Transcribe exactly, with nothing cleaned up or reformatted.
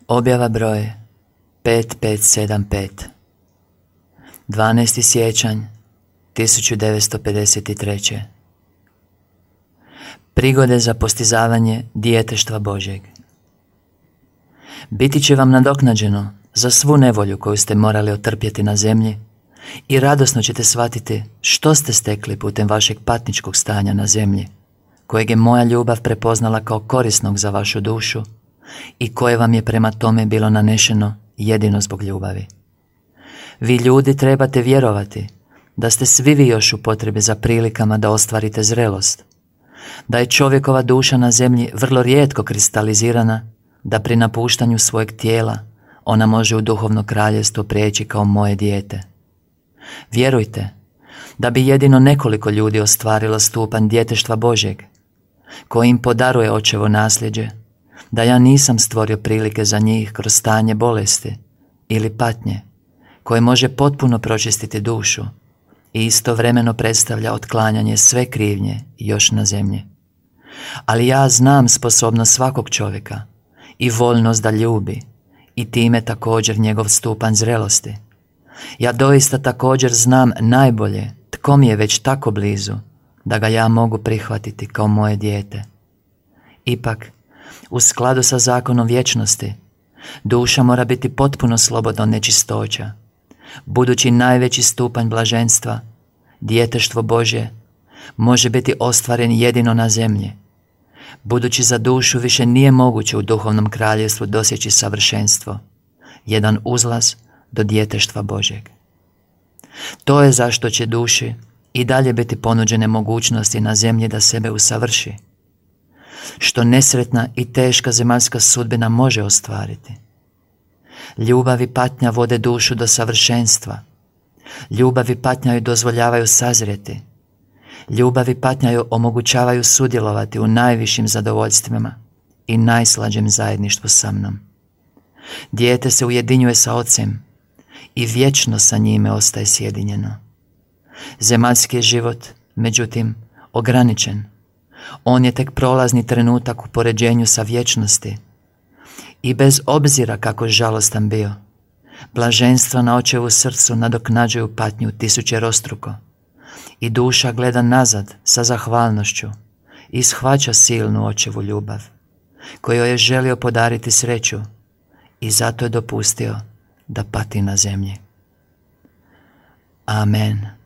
Objava broj pet pet sedam pet, dvanaesti siječanj tisuću devetsto pedeset treće. Prigode za postizavanje djeteštva Božjeg. Biti će vam nadoknađeno za svu nevolju koju ste morali otrpjeti na zemlji i radosno ćete shvatiti što ste stekli putem vašeg patničkog stanja na zemlji, kojeg je moja ljubav prepoznala kao korisnog za vašu dušu i koje vam je prema tome bilo nanešeno jedino zbog ljubavi. Vi ljudi trebate vjerovati da ste svi vi još u potrebi za prilikama da ostvarite zrelost, da je čovjekova duša na zemlji vrlo rijetko kristalizirana, da pri napuštanju svojeg tijela ona može u duhovno kraljevstvo prijeći kao moje dijete. Vjerujte da bi jedino nekoliko ljudi ostvarilo stupanj djeteštva Božjeg, koji im podaruje očevo nasljeđe, da ja nisam stvorio prilike za njih kroz stanje bolesti ili patnje, koje može potpuno pročistiti dušu i istovremeno predstavlja otklanjanje sve krivnje još na zemlji. Ali ja znam sposobnost svakog čovjeka i voljnost da ljubi i time također njegov stupanj zrelosti. Ja doista također znam najbolje tko mi je već tako blizu da ga ja mogu prihvatiti kao moje dijete. Ipak, u skladu sa zakonom vječnosti, duša mora biti potpuno slobodna od nečistoća, budući najveći stupanj blaženstva, djeteštvo Božje, može biti ostvaren jedino na zemlji, budući za dušu više nije moguće u duhovnom kraljevstvu dosjeći savršenstvo, jedan uzlaz do djeteštva Božjeg. To je zašto će duši i dalje biti ponuđene mogućnosti na zemlji da sebe usavrši, što nesretna i teška zemaljska sudbina može ostvariti. Ljubav i patnja vode dušu do savršenstva. Ljubav i patnja joj dozvoljavaju sazrijeti. Ljubav i patnja joj omogućavaju sudjelovati u najvišim zadovoljstvima i najslađem zajedništvu sa mnom. Dijete se ujedinjuje sa Ocem i vječno sa njime ostaje sjedinjeno. Zemaljski je život, međutim, ograničen. On je tek prolazni trenutak u poređenju sa vječnosti. I bez obzira kako žalostan bio, blaženstva na očevu srcu nadoknađuju patnju tisućerostruko i duša gleda nazad sa zahvalnošću i shvaća silnu očevu ljubav, kojoj je želio podariti sreću i zato je dopustio da pati na zemlji. Amen.